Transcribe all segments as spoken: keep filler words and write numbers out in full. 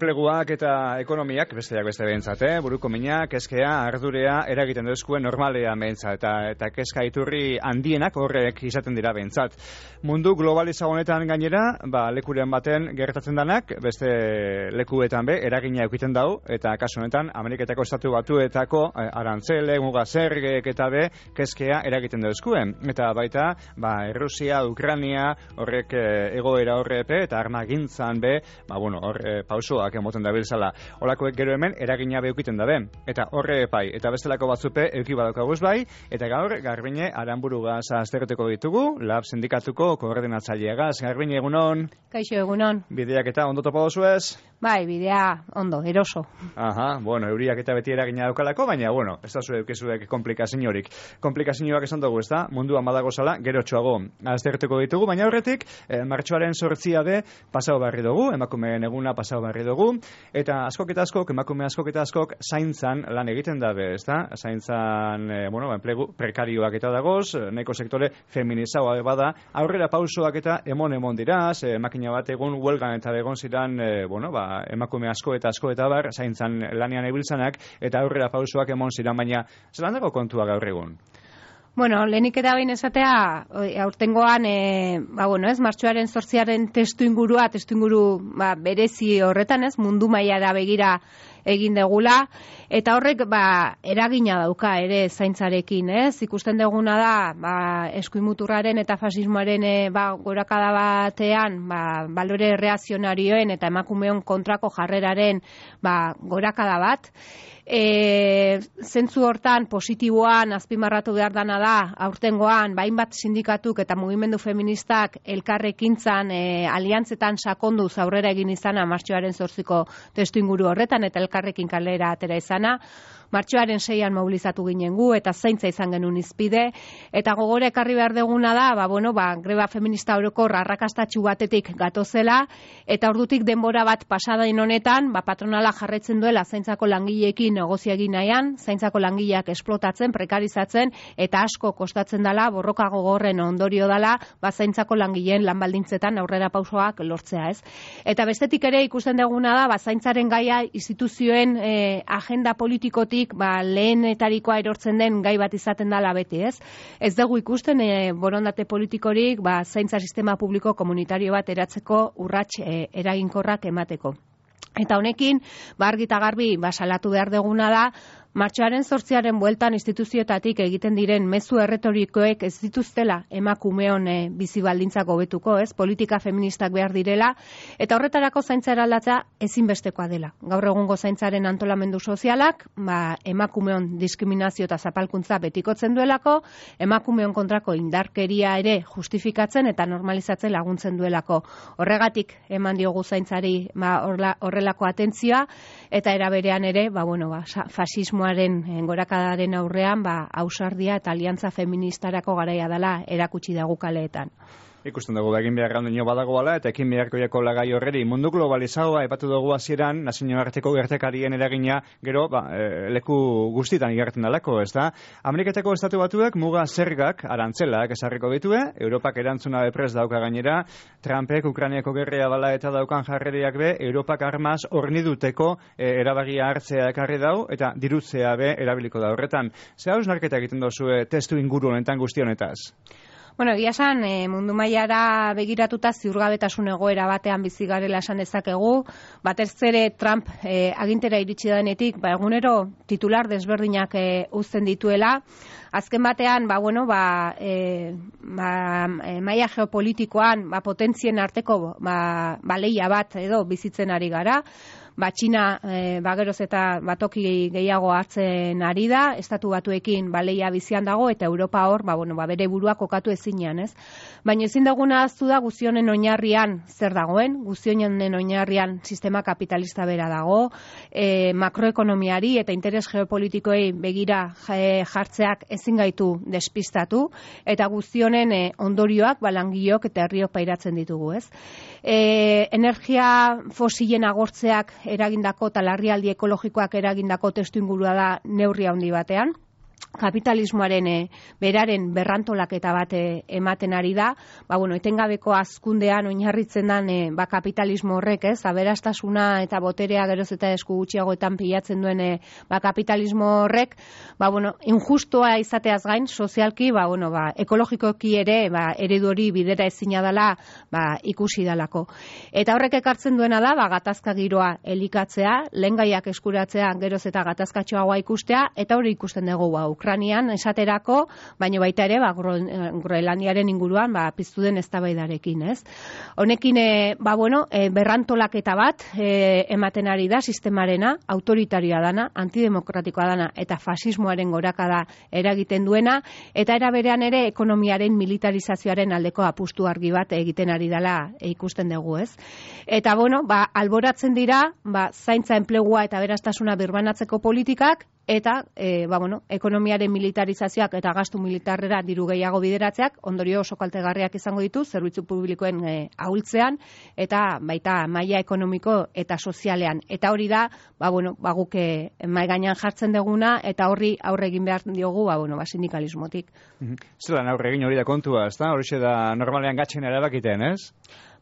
Enpleguak eta ekonomiak, besteak beste behintzate, buruko mina, keskea, ardurea, eragiten duzkuen normalea behintzat, eta, eta keska iturri handienak horrek izaten dira behintzat. Mundu globalizagonetan gainera, ba, lekuren baten gertatzen danak, beste lekuetan be, eragina eukiten dau, eta kasu honetan, Ameriketako Estatu Batuetako eh, arantzele, muga zergek eta be, keskea eragiten duzkuen. Eta baita, ba, Errusia, Ukrania, horrek eh, egoera horrepe, eta armagintzan be, ba, bueno, hor eh, pausoa emoten dabiltzala. Olakoek gero hemen eragina beukiten dabe. Eta horre epai, eta bestelako batzupe euki badokaguz bai, eta gaur Garbine Aranburugaz aztertuko ditugu, Lab sindikatuko koordinatzaileagaz. Garbine, egunon? Kaixo, egunon. Bideak eta ondo topo dozuez? Bai, bidea ondo, eroso. Aha, bueno, euriak eta beti eragina daukalako, baina, bueno, ez da zure eukizuek komplikaziorik. Komplikazioak esan dugu, ez da? Mundua malago zala, gero txoago aztertuko ditugu, baina horretik, eh, martxoaren sortzia be, pasau barri dugu, emakumeen eguna pasau barri dugu, eta askok eta askok, emakume askok eta askok, zaintzan lan egiten dabe, ez da? Zaintzan, eh, bueno, enplegu prekarioak eta dagoz, nahiko sektore feminizagoa bada, aurrera pausoak eta emon-emon diraz, eh, makina bat egun huelgan eta egon ziran, eh, bueno, ba, emakume asko eta asko eta bar, zaintzan lanean ibiltzanak, eta aurrera pausoak emon ziran, baina zelan dago kontua gaur egun? Bueno, lehenik eta behin esatea, aurtengoan, e, ba, bueno, ez, martxoaren zortziaren testu ingurua, testu inguru ba, berezi horretan, ez, mundu mailara begira egin degula, eta horrek ba, eragina dauka ere zaintzarekin, ez? Ikusten duguna da, ba, eskuimuturraren eta fasismoaren e, ba, gorakada batean, ba, balore reazionarioen eta emakumeon kontrako jarreraren ba, gorakada bat. E, zentzu hortan positiboan azpimarratu behar dana da, aurtengoan, bainbat sindikatuk eta mugimendu feministak elkarrekintzan, e, aliantzetan sakonduz aurrera egin izana martxoaren zortziko testu inguru horretan, eta elkarrekin kalera atera izana. Martxoaren seian mobilizatu ginen gu, eta zaintza izan genuen izpide, eta gogore ekarri behar deguna da, ba, bueno, ba, greba feminista orokor arrakastatxu batetik gatozela, eta ordutik denbora bat pasadain honetan, ba, patronala jarretzen duela zaintzako langileekin negozia egin nahian, zaintzako langileak esplotatzen, prekarizatzen, eta asko kostatzen dela, borroka gogorren ondorio dela, ba, zaintzako langileen lanbaldintzetan aurrera pausoak lortzea, ez? Eta bestetik ere ikusten deguna da, ba, zaintzaren gaia instituzioen eh, agenda politikotik ba, lehenetarikoa erortzen den gai bat izaten dela beti, ez? Ez dugu ikusten e, borondate politikorik ba, zaintza sistema publiko komunitario bat eratzeko urrats e, eraginkorrak emateko. Eta honekin, ba, argi eta garbi ba, salatu behar deguna da, martxoaren zortziaren bueltan instituzioetatik egiten diren mezu erretorikoek ez dituztela emakumeon e, bizi baldintzak hobetuko, ez? Politika feministak behar direla, eta horretarako zaintza eraldatzea ezinbestekoa dela. Gaur egungo zaintzaren antolamendu sozialak, ba, emakumeon diskriminazio eta zapalkuntza betikotzen duelako, emakumeon kontrako indarkeria ere justifikatzen eta normalizatzen laguntzen duelako. Horregatik eman diogu zaintzari ba, horrelako atentzioa, eta eraberean ere, ba, bueno, ba, fasismo gorakadaren aurrean ba, ausardia eta aliantza feministarako garaia dela erakutsi dagu kaleetan. Ikusten dugu egin behar gaundio badagoala eta ekin beharko jako lagai horreri. Mundu globalizagoa epatu dugu hasieran nazioarteko gertakarien eragina gero ba, e, leku guztitan igartzen dalako, ez da? Ameriketako Estatu Batuak muga zergak arantzelak esarriko ditue, Europak erantzuna bepres dauka gainera, Trumpek Ukrainiako gerrea bala eta daukan jarreriak be, Europak armaz horniduteko e, erabagia hartzea ekarri dau, eta dirutzea be erabiliko da horretan. Ze haus narketa egiten dozue testu inguru honetan guztionetaz? Bueno, egia esan, e, mundu mailara begiratuta ziurgabetasun egoera batean bizi garela esan dezakegu, batez ere Trump e, agintera iritsi denetik, ba, egunero titular desberdinak e, uzten dituela. Azken batean, ba, bueno, ba, e, ba, e, maila geopolitikoan, ba, potentzien arteko ba, ba, leia bat edo bizitzen ari gara. Ba, Txina e, ba, geroz eta batoki gehiago hartzen ari da, Estatu Batuekin baleia bizian dago, eta Europa hor, ba, bueno, ba, bere burua kokatu ezinean, ez? Baina ezin daguna aztu da guztionen oinarrian zer dagoen, guztionen oinarrian sistema kapitalista bera dago, e, makroekonomiari eta interes geopolitikoei begira e, jartzeak ezin gaitu despistatu, eta guztionen e, ondorioak, balangilok eta herriok pairatzen ditugu, ez? E, energia fosilen agortzeak eragindako eta larrialdi ekologikoak eragindako testu ingurua da neurri handi batean. kapitalismoaren e, beraren berrantolaketa bat e, ematen ari da, ba, bueno, etengabeko azkundean oinarritzen den e, ba, kapitalismo horrek, ez, aberastasuna eta boterea geroz eta esku gutxiagoetan pilatzen duen e, ba, kapitalismo horrek, ba, bueno, injustua izateaz gain, sozialki, ba, bueno, ba, ekologikoki ere, ba, eredu hori bidera ezina dela, ba, ikusi dalako. Eta horrek ekartzen duena da, ba, gatazka giroa elikatzea, lehengaiak eskuratzea geroz eta gatazkatxoagoa ikustea, eta hori ikusten dugu, ba, Ukrainian esaterako, baina baita ere, ba, Groenlandiaren inguruan, ba, piztu den eztabaidarekin, ez? Honekin, e, ba, bueno, e, berrantolaketa bat e, ematen ari da sistemarena, autoritarioa dana, antidemokratikoa dana, eta fasismoaren gorakada eragiten duena, eta era berean ere ekonomiaren militarizazioaren aldeko apustu argi bat egiten ari dela e, ikusten dugu, ez? Eta, bueno, ba, alboratzen dira, ba, zaintza enplegua eta berastasuna birbanatzeko politikak, eta e, ba, bueno, ekonomiaren militarizazioak eta gastu militarrera diru gehiago bideratzeak ondorio oso kaltegarriak izango ditu zerbitzu publikoen e, ahultzean eta baita maila ekonomiko eta sozialean. Eta hori da, ba, bueno, ba, guk mahai gainean jartzen duguna eta horri aurre egin behar diogu, ba, bueno, ba, sindikalismotik. Zelan aurre egin hori da kontua, ezta? Horixe da normalean gatzen erabakiten, ez?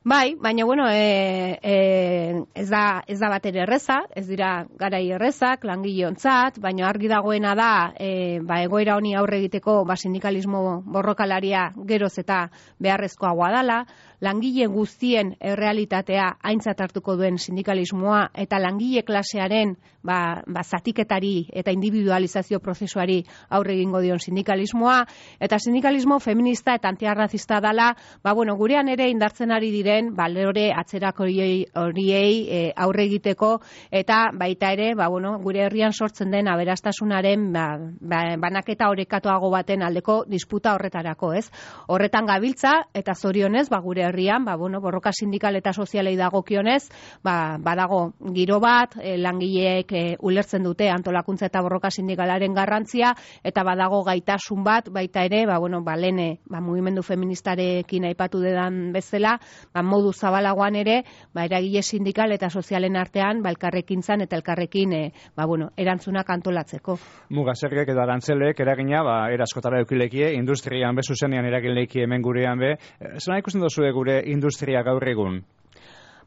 Bai, baina bueno, e, e, ez da ez da batere erreza, ez dira garai errezak langileontzat, baina argi dagoena da, e, ba, egoera honi aurre egiteko ba sindikalismo borrokalaria geroz eta beharrezkoagoa dela, langile guztien errealitatea aintzat hartuko duen sindikalismoa eta langile klasearen ba, ba zatiketari eta individualizazio prozesuari aurre egingo dion sindikalismoa eta sindikalismo feminista eta antiarrazista dela, ba bueno, gurean ere indartzen ari diren balore atzerak horiei, horiei e, aurre egiteko eta baita ere, ba bueno, gure herrian sortzen den aberastasunaren ba, ba, banaketa orekatuago baten aldeko disputa horretarako, ez? Horretan gabiltza eta zorionez, ba gure herrian, ba bueno, borroka sindikal eta sozialei dagokionez, ba badago giro bat, e, langileek e, ulertzen dute antolakuntza eta borroka sindikalaren garrantzia eta badago gaitasun bat baita ere, ba bueno, ba lene, ba mugimendu feministarekin aipatu dedan bezala, ba modu zabalagoan ere, ba eragile sindikal eta sozialen artean, ba elkarrekintzan eta elkarrekin e, ba bueno, erantzunak antolatzeko. Mugaserrek edo arantzelek eragina, ba era askotara edukilekie, industrian be zuzenean eragileiki hemen gurean be. Zena ikusten duzu gure industria gaur egun?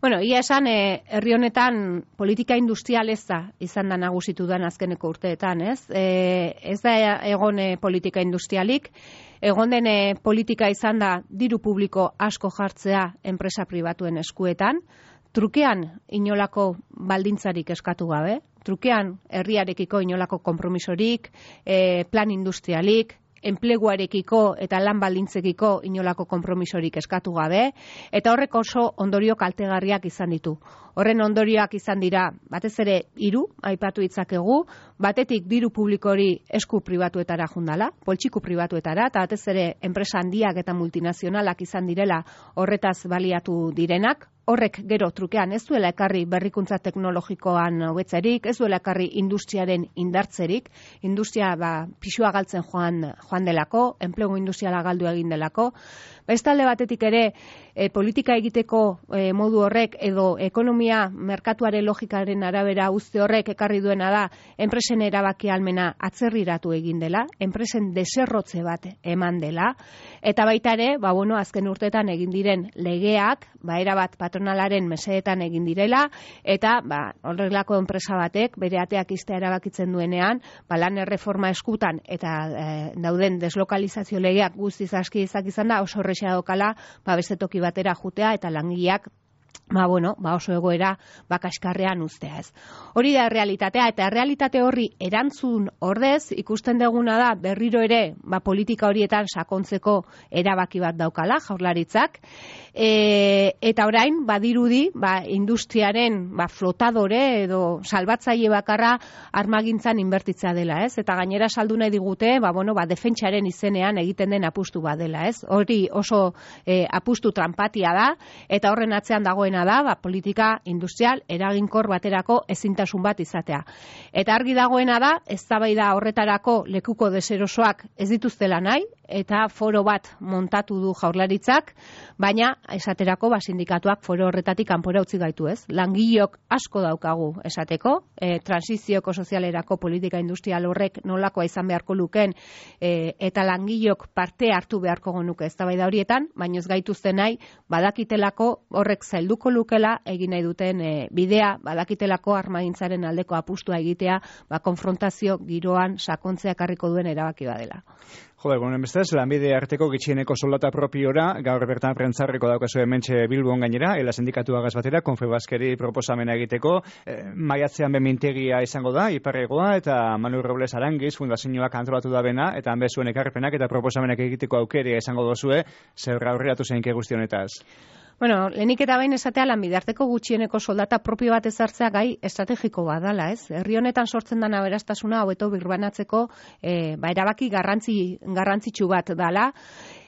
Bueno, ia esan, e, herri honetan politika industrial ez da izan da nagusitu dan azkeneko urteetan, ez? E, ez da egon e, politika industrialik, egon den e, politika izan da diru publiko asko jartzea enpresa pribatuen eskuetan, trukean inolako baldintzarik eskatu gabe, trukean herriarekiko inolako konpromisorik, e, plan industrialik, enpleguarekiko eta lan baldintzekiko inolako konpromisorik eskatu gabe, eta horrek oso ondorio kaltegarriak izan ditu. Horren ondorioak izan dira, batez ere hiru aipatu ditzakegu, batetik diru publikori esku pribatuetara jundala, poltsiku pribatuetara, eta batez ere enpresa handiak eta multinazionalak izan direla horretaz baliatu direnak, horrek gero trukean ez duela ekarri berrikuntza teknologikoan hobetzerik, ez duela ekarri industriaren indartzerik, industria ba, pisua galtzen joan, joan delako, enplegu industriala galdu egin delako. Bestalde batetik ere, e, politika egiteko e, modu horrek edo ekonomia merkatuaren logikaren arabera uzte horrek ekarri duena da, enpresen erabaki ahalmena atzerriratu egin dela, enpresen deserrotze bat eman dela, eta baita ere, ba, bueno, azken urteetan egin diren legeak, ba, erabat patronalaren mesedetan egin direla, eta ba, horrelako enpresa batek bere ateak iztea erabakitzen duenean, ba, lan erreforma eskutan eta e, dauden deslokalizazio legeak guztiz aski izak izan da, oso horrexea dokala, ba, beste toki batera jutea eta langileak ba, bueno, ba oso egoera bakaskarrean uztea ez. Hori da realitatea, eta realitate horri erantzun ordez, ikusten duguna da berriro ere ba, politika horietan sakontzeko erabaki bat daukala jaurlaritzak, e, eta orain badirudi ba, industriaren ba, flotadore edo salbatzaile bakarra armagintzan inbertitzea dela, ez? Eta gainera saldu nahi digute, ba, bueno, ba, defentsaren izenean egiten den apustu bat dela, ez? Hori oso e, apustu tranpatia da, eta horren atzean dago dagoena da, ba, politika industrial eraginkor baterako ezintasun bat izatea. Eta argi dagoena da, eztabaida horretarako lekuko deserosoak ez dituztela nahi, eta foro bat montatu du Jaurlaritzak, baina esaterako ba, sindikatuak foro horretatik kanpora utzi gaitu, ez? Langileok asko daukagu esateko, e, transizioko sozialerako politika industrial horrek nolakoa izan beharko luken, e, eta langileok parte hartu beharko genuke eztabaida horietan, baina ez gaituzte nahi badakitelako horrek zailduko lukela egin nahi duten e, bidea, badakitelako armagintzaren aldeko apustua egitea, ba, konfrontazio giroan sakontzea ekarriko duen erabaki badela. Jode, egunen bestez, lanbide arteko gitxieneko soldata propiora, gaur bertan prentzarreko daukazu hementxe Bilbon gainera, ela sindikatu agaz batera, Konfebaskeri proposamena egiteko, e, maiatzean bemintegia izango da, Iparregoa, eta Manu Robles Arangiz, fundazioak antolatu da bena, eta hanbe zuen ekarpenak eta proposamenak egiteko aukeria izango dozue, zer aurreratu zeinke guztionetaz. Bueno, lehenik eta behin esatea lanbide arteko gutxieneko soldata propio bat ezartzea gai estrategiko badala, ez? Herri honetan sortzen den aberastasuna hobeto birbanatzeko e, ba, erabaki garrantzi, garrantzitsu bat dala.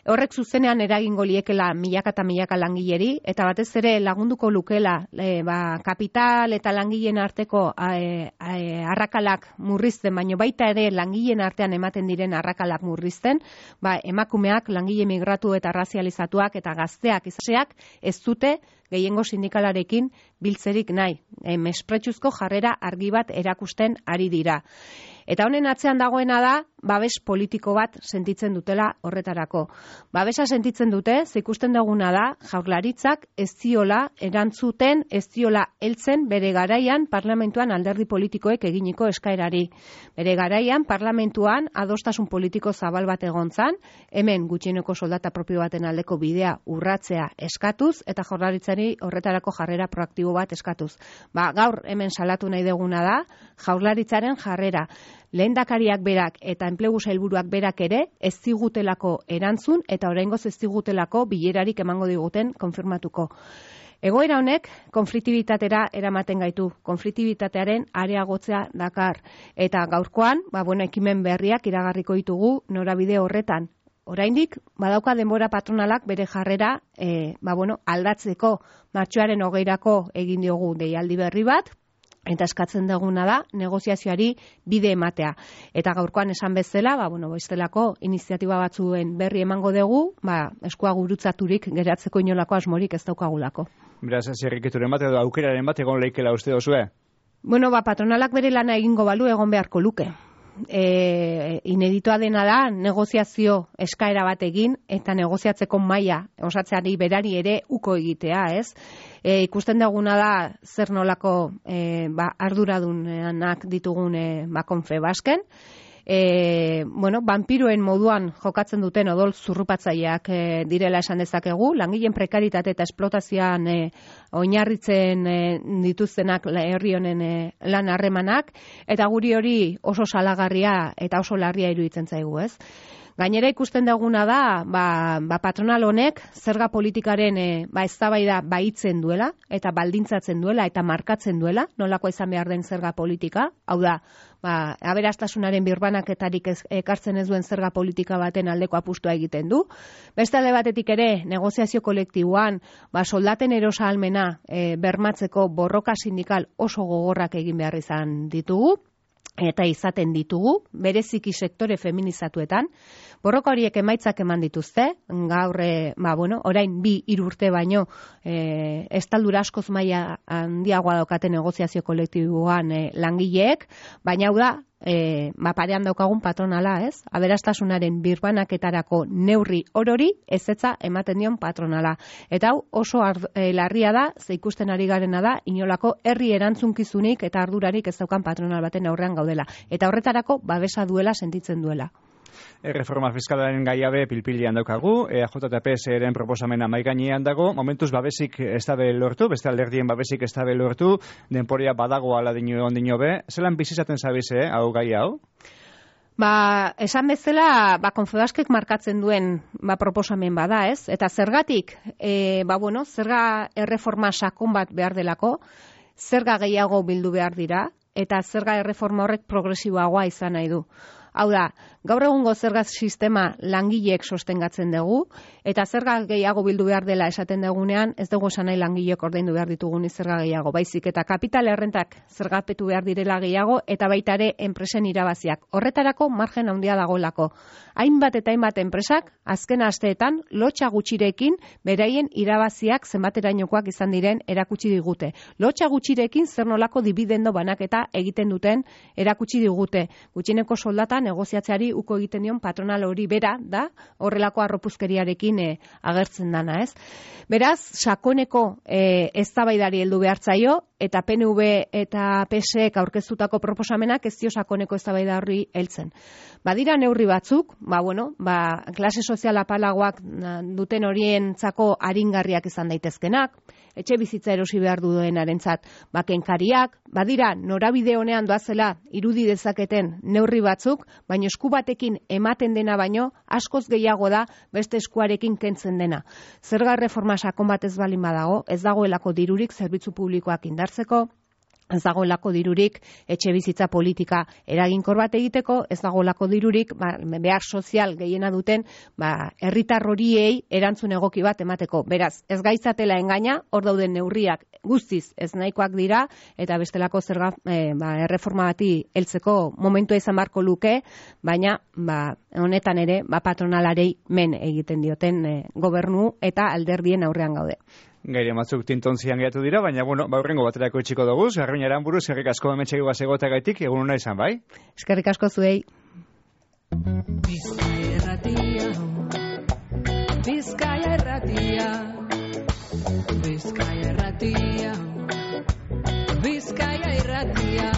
Horrek zuzenean eragingo liekela milaka eta milaka langileri, eta batez ere lagunduko lukela e, ba, kapital eta langileen arteko e, e, arrakalak murrizten, baino baita ere langileen artean ematen diren arrakalak murrizten, ba, emakumeak, langile migratu eta razializatuak eta gazteak izaseak ez dute gehiengo sindikalarekin biltzerik nahi. E, mespretsuzko jarrera argi bat erakusten ari dira. Eta honen atzean dagoena da, babes politiko bat sentitzen dutela horretarako. Babesa sentitzen dute, ze ikusten duguna da, Jaurlaritzak ez diola erantzuten, ez diola heltzen bere garaian parlamentuan alderdi politikoek eginiko eskaerari. Bere garaian parlamentuan adostasun politiko zabal bat egontzan, hemen gutxieneko soldata propio baten aldeko bidea urratzea eskatuz, eta Jaurlaritzari horretarako jarrera proaktibo bat eskatuz. Ba, gaur hemen salatu nahi deguna da, Jaurlaritzaren jarrera. Lehendakariak berak eta enplegu sailburuak berak ere ez zigutelako erantzun eta oraingoz ez zigutelako bilerarik emango diguten konfirmatuko. Egoera honek konfliktibitatera eramaten gaitu, konfliktibitatearen areagotzea dakar. Eta gaurkoan, ba, bueno, ekimen berriak iragarriko ditugu norabide horretan. Oraindik badauka denbora patronalak bere jarrera e, ba, bueno, aldatzeko, martxoaren hogeirako egin diogu deialdi berri bat, eta eskatzen duguna da negoziazioari bide ematea. Eta gaurkoan esan bezala, ba, bueno, bestelako iniziatiba batzuen berri emango dugu, ba, eskua gurutzaturik geratzeko inolako asmorik ez daukagulako. Beraz, zerrikituren bat edo aukeraren bat egon leikela uste dozue? Bueno, ba, patronalak bere lana egingo balu egon beharko luke. E, ineditoa dena da negoziazio eskaera bat egin eta negoziatzeko maila osatzeari berari ere uko egitea, ez? E, ikusten duguna da zer nolako e, ba, arduradunak ditugun e, ba, Konfebasken. E, bueno, vampiroen moduan jokatzen duten odol zurrupatzaileak e, direla esan dezakegu, langileen prekaritate eta esplotazioan e, oinarritzen e, dituztenak herri honen e, lan harremanak, eta guri hori oso salagarria eta oso larria iruditzen zaigu, ez? Gainera ikusten duguna da, ba, ba patronal honek zerga politikaren e, ba eztabaida baitzen duela eta baldintzatzen duela eta markatzen duela, nolako izan behar den zerga politika, hau da, ba, aberastasunaren birbanaketarik ez, ekartzen ez duen zerga politika baten aldeko apustua egiten du. Beste alde batetik ere, negoziazio kolektiboan, ba, soldaten erosahalmena e, bermatzeko borroka sindikal oso gogorrak egin behar izan ditugu, eta izaten ditugu, bereziki sektore feminizatuetan. Borroka horiek emaitzak eman dituzte, gaur, e, ba, bueno, orain bi hiru urte baino e, estaldura askoz maila handiagoa daukate negoziazio kolektiboan e, langileek, baina hau da, e, ba, parean daukagun patronala, ez? Aberastasunaren birbanaketarako neurri orori ezetza ematen dion patronala. Eta hau oso ard, e, larria da, ze ikusten ari garena da, inolako herri erantzunkizunik eta ardurarik ez daukan patronal baten aurrean gaudela. Eta horretarako babesa duela sentitzen duela. Erreforma fiskalaren gaiabe pilpilian daukagu, E A J eta P S eren proposamena maigainean dago, momentuz babesik ez dabe lortu, beste alderdien babesik ez dabe lortu, denporia badago ala dino ondino be, zelan bizizaten zabize, hau gai hau? Ba, esan bezala, ba, Konfebaskek markatzen duen ba, proposamen bada, ez? Eta zergatik, e, ba, bueno, zerga erreforma sakon bat behar delako, zerga gehiago bildu behar dira, eta zerga erreforma horrek progresiboagoa izan nahi du. Hau da, Gaur egungo zerga sistema langileek sostengatzen dugu, eta zerga gehiago bildu behar dela esaten dugunean, ez dugu esan nahi langileek ordaindu behar ditugun zerga gehiago, baizik eta kapital errentak zergapetu behar direla gehiago, eta baita ere enpresen irabaziak. Horretarako margen handia dagoelako. Hainbat eta hainbat enpresak, azken asteetan, lotxa gutxirekin, beraien irabaziak zenbaterainokoak izan diren erakutsi digute. Lotxa gutxirekin zer nolako dibidendo banaketa egiten duten erakutsi digute. Gutxieneko soldata negoziatzeari uko egiten dion patronal hori bera da, horrelako arropuzkeriarekin e, agertzen dana, ez? Beraz, sakoneko e, eztabaidari heldu behartzaio, eta P N V eta P S ek aurkeztutako proposamenak ez dio sakoneko eztabaida horri heltzen. Badira neurri batzuk, ba bueno, ba klase sozial apalagoak duten horientzako aringarriak izan daitezkenak, etxe bizitza erosi behar duenarentzat bakenkariak, badira norabide honean doazela irudi dezaketen neurri batzuk, baina esku batekin ematen dena baino askoz gehiago da beste eskuarekin kentzen dena. Zerga erreforma sakon bat ez balin badago, ez dagoelako dirurik zerbitzu publikoak indartzeko, ez dagoelako dirurik etxe bizitza politika eraginkor bat egiteko, ez dagoelako dirurik ba, behar sozial gehiena duten ba, herritar horiei erantzun egoki bat emateko. Beraz, ez gaitzatela engaina, hor dauden neurriak guztiz ez nahikoak dira, eta bestelako zerga e, ba, erreforma bati heltzeko momentua izan barko luke, baina ba, honetan ere ba, patronalarei men egiten dioten e, gobernu eta alderdien aurrean gaude. Gaire matzuk tintontzian gehiatu dira, baina, bueno, baurrengo baterako itxiko dugu, Garbiñe Aranburu, eskerrik asko hementxe egotagaitik, egun hona izan, bai? Eskerrik asko zuei. Bizkaia erratia, Bizkaia erratia, Bizkaia erratia, Bizkaia erratia.